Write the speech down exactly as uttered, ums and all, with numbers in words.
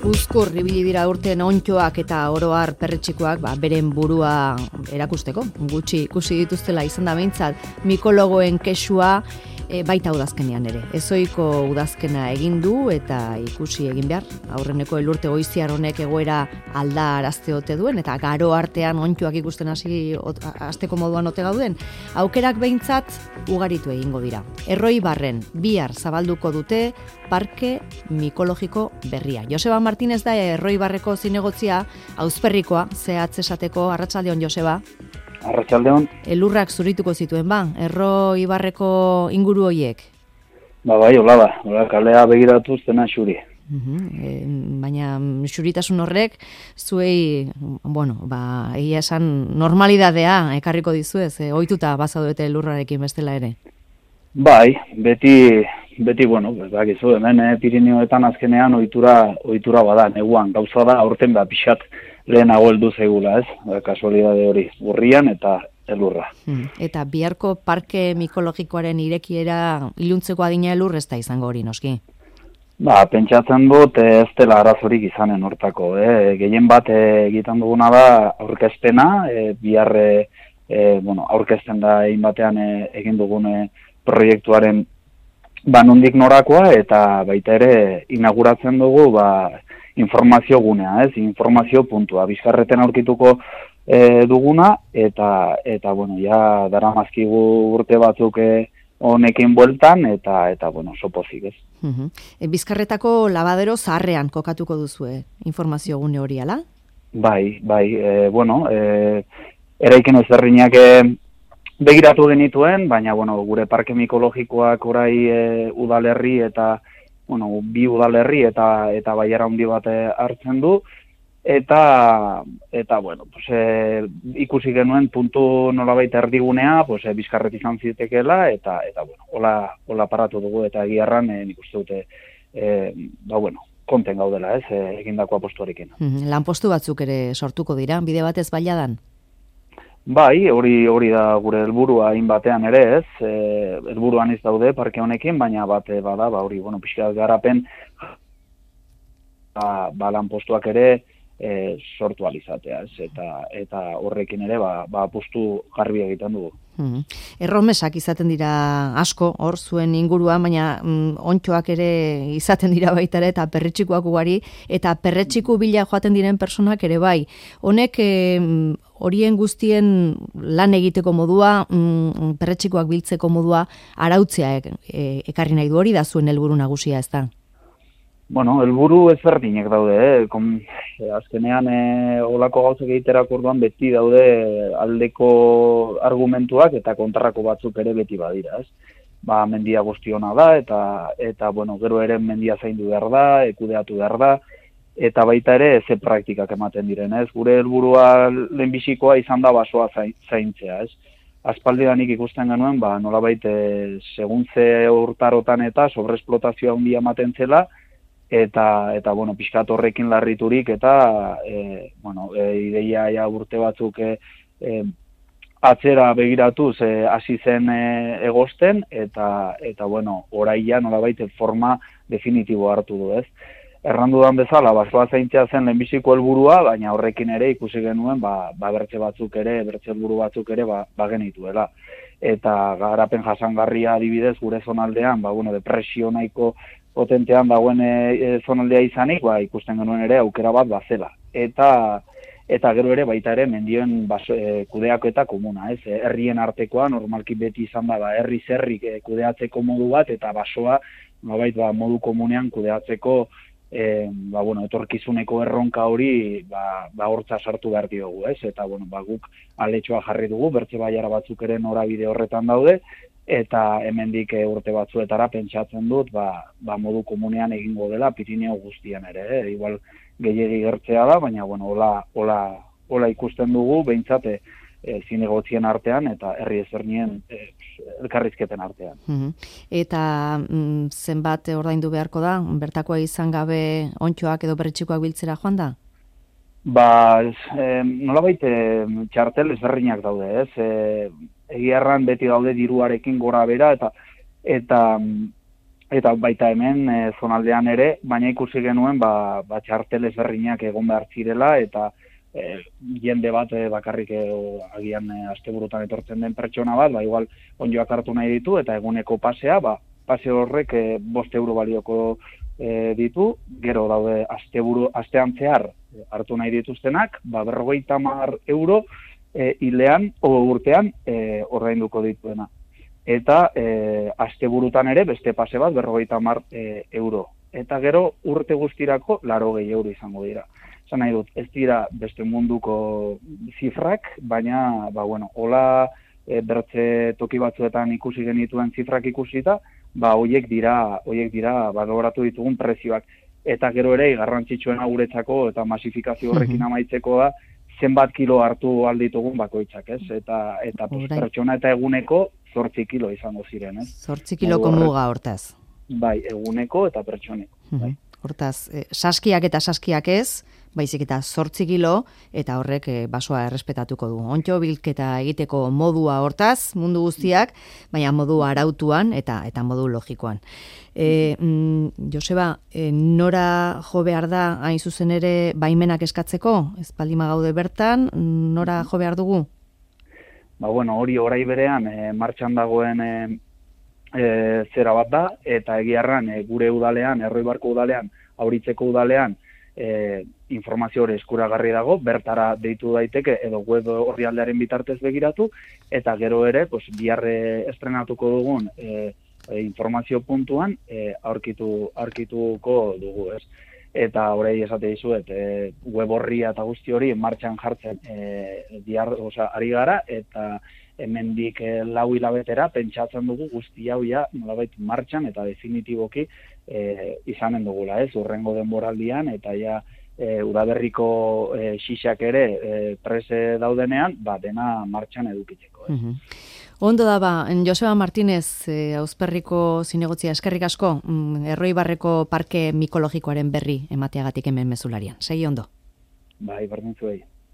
Uzkur ibili dira urten ontxoak eta oroar perretxikoak ba, beren burua erakusteko. Gutxi ikusi dituztela izan da behintzat mikologoen kexua e, baita udazkenean ere. Ezoiko udazkena egin du eta ikusi egin behar. Aurreneko elurte goiziar honek egoera alda arazte ote duen eta garo artean ontxoak ikusten hasi hasteko moduan ote gauden. Aukerak behintzat ugaritu egingo dira. Erroi barren bihar zabalduko dute parke mikologiko berria. Joseba Martínez da Erroi barreko zinegotzia, auzperrikoa, zehatz esateko. Arratsaldeon, Joseba. Arratsaldeon. Elurrak zurituko zituen ba, Erroi barreko inguru hoiek. Ba bai, hola da. Hola, kalea begiratu zena xuri. Uhum, e, baina xuritasun horrek zuei, bueno, ba, egia esan normalidadea ekarriko dizuez, e, ohituta bazaudete elurrarekin bestela ere. Bai, beti beti bueno, pues bakizu hemen eh, Pirineoetan azkenean ohitura ohitura bada, neguan gauza da aurten ba pixat lehenago heldu zaigula, ez? Ba, kasualidade hori, urrian eta elurra. Hmm. Eta biharko parke mikologikoaren irekiera iluntzeko adina elur ez da izango hori noski. Ba, pentsatzen dut ez dela arazorik izanen hortako, eh? Gehien bat eh, egiten duguna da aurkezpena, eh, bihar eh, eh, bueno, aurkezten da egin batean eh, egin dugune proiektuaren ba nondik norakoa eta baita ere inauguratzen dugu ba informazio gunea, ez? Informazio puntua. Bizkarreten aurkituko e, duguna eta eta bueno, ja daramazkigu urte batzuk e, honekin bueltan eta eta bueno, sopozik, ez? Uh-huh. E, Bizkarretako labadero zaharrean kokatuko duzue informazio gune hori ala? Bai, bai, e, bueno, e, eraikin ezberdinak e, begiratu genituen, baina bueno, gure parke mikologikoak orai e, udalerri eta bueno, bi udalerri eta eta baiara handi bat hartzen du eta eta bueno, pues e, ikusi genuen puntu nolabait erdigunea, pues e, Bizkarret izan zitekeela eta eta bueno, hola hola paratu dugu eta egiarran e, nik uste dute e, ba bueno, konten gaudela, ez, e, egindako apostuarekin. Mm, lanpostu batzuk ere sortuko dira bide batez bailadan. Bai, hori hori da gure helburua hainbatean ere, ez? Eh, helburuan ez daude parke honekin, baina bate bada, ba hori, bueno, pixkat garapen ba, ba lanpostuak ere e, sortu alizatea, ez? Eta eta horrekin ere ba ba apustu garbi egiten dugu. Hmm. Erromesak izaten dira asko hor zuen inguruan, baina mm, ontxoak ere izaten dira baita ere eta perretxikoak ugari eta perretxiku bila joaten diren personak ere bai. Honek e, horien guztien lan egiteko modua, mm, perretxikoak biltzeko modua arautzea e, e, ekarri nahi du, hori da zuen helburu nagusia, ez da? Bueno, helburu ezberdinek daude, eh? Kom, eh, azkenean eh, olako gauzak egiterako orduan beti daude aldeko argumentuak eta kontrako batzuk ere beti badira, ez? Ba, mendia guztiona da eta eta bueno, gero ere mendia zaindu behar da, kudeatu behar da eta baita ere ze praktikak ematen diren, ez? Gure helburua lehenbizikoa izan da basoa zaintzea, ez? Aspaldidanik ikusten genuen, ba, nolabait eh, seguntze urtarotan eta sobreesplotazioa handia ematen zela, eta eta bueno, pixkat horrekin larriturik eta e, bueno, e, ideia ja urte batzuk e, e, atzera begiratuz hasi e, zen e, egosten eta eta bueno, oraia nolabait forma definitibo hartu du, ez? Errandudan bezala, basoa zaintzea zen lehenbiziko helburua, baina horrekin ere ikusi genuen ba, ba bertze batzuk ere, bertze helburu batzuk ere ba, ba genituela. Eta garapen jasangarria adibidez gure zonaldean, ba bueno, depresio nahiko potentean dagoen e, zonaldea izanik, ba, ikusten genuen ere aukera bat bazela. Eta eta gero ere baita ere mendioen baso, e, kudeako eta komuna, ez? Herrien artekoa normalki beti izan da ba herri zerrik e, kudeatzeko modu bat eta basoa nolabait ba modu komunean kudeatzeko e, ba bueno, etorkizuneko erronka hori ba ba hortza sartu behar diogu, ez? Eta bueno, ba guk aletxoa jarri dugu, bertze baiara batzuk ere norabide horretan daude. Eta hemendik urte batzuetara pentsatzen dut ba, ba modu komunean egingo dela Pirineo guztian ere, eh? Igual gehiegi gertzea da, baina bueno, hola, hola, hola ikusten dugu behintzat e, zinegotzien artean eta herri ezberdinen e, elkarrizketen artean. Uh-huh. Eta mm, zenbat ordaindu beharko da, bertakoa izan gabe ontxoak edo perretxikoak biltzera joan da? Ba, eh, nolabait eh, txartel ezberdinak daude, ez? Eh, egiarran beti daude diruarekin gora bera eta eta eta baita hemen e, zonaldean ere, baina ikusi genuen ba, ba txartel ezberdinak egon behar zirela, eta e, jende bat e, bakarrik e, agian e, asteburutan etortzen den pertsona bat, ba igual onjoak hartu nahi ditu, eta eguneko pasea, ba, pase horrek e, bost euro balioko e, ditu, gero daude asteburu, astean zehar hartu nahi dituztenak, ba, berrogeita hamar euro e, hilean o urtean e, ordainduko dituena. Eta e, asteburutan ere beste pase bat berrogeita hamar e, euro. Eta gero urte guztirako laurogei euro izango dira. Esan nahi dut, ez dira beste munduko zifrak, baina, ba, bueno, hola e, bertze toki batzuetan ikusi genituen zifrak ikusita, ba, hoiek dira, hoiek dira, baloratu ditugun prezioak. Eta gero ere, garrantzitsuena guretzako eta masifikazio horrekin amaitzeko da, zenbat kilo hartu alditugun bakoitzak, ez? Eta, eta pues, pertsona eta eguneko zortzi kilo izango ziren, ez? Zortzi kiloko muga hortaz. Bai, eguneko eta pertsoneko. Bai. Hortaz, eh, saskiak eta saskiak ez, baizik eta zortzi kilo, eta horrek eh, basoa errespetatuko du. Ontxo bilketa egiteko modua hortaz, mundu guztiak, baina modu arautuan eta eta modu logikoan. E, mm, Joseba, e, nora jo behar da hain zuzen ere baimenak eskatzeko? Ez baldima gaude bertan, nora jo behar dugu? Ba, bueno, hori orai berean e, martxan dagoen e, e, zera bat da, eta egiarran e, gure udalean, Erroibarko udalean, Auritzeko udalean, e, informazio hori eskuragarri dago, bertara deitu daiteke edo web orrialdearen bitartez begiratu, eta gero ere, pues, biharre estrenatuko dugun e, e, informazio puntuan e, aurkitu, aurkituko dugu, ez? Eta horrei esate dizuet, e, web horria eta guzti hori martxan jartzen e, diar, oza, ari gara, eta hemendik e, lau hilabetera pentsatzen dugu guzti hau ja nolabait martxan eta definitiboki e, izanen dugula, ez? Urrengo denboraldian, eta ja e, udaberriko e, xixak ere e, prese daudenean, ba, dena martxan edukitzeko, ez? Mm-hmm. Ondo da ba, Joseba Martínez, eh, Auzperriko zinegotzia eskerrik asko, mm, Erroibarreko parke mikologikoaren berri emateagatik hemen mezularian. Segi ondo. Bai, berdin zuei.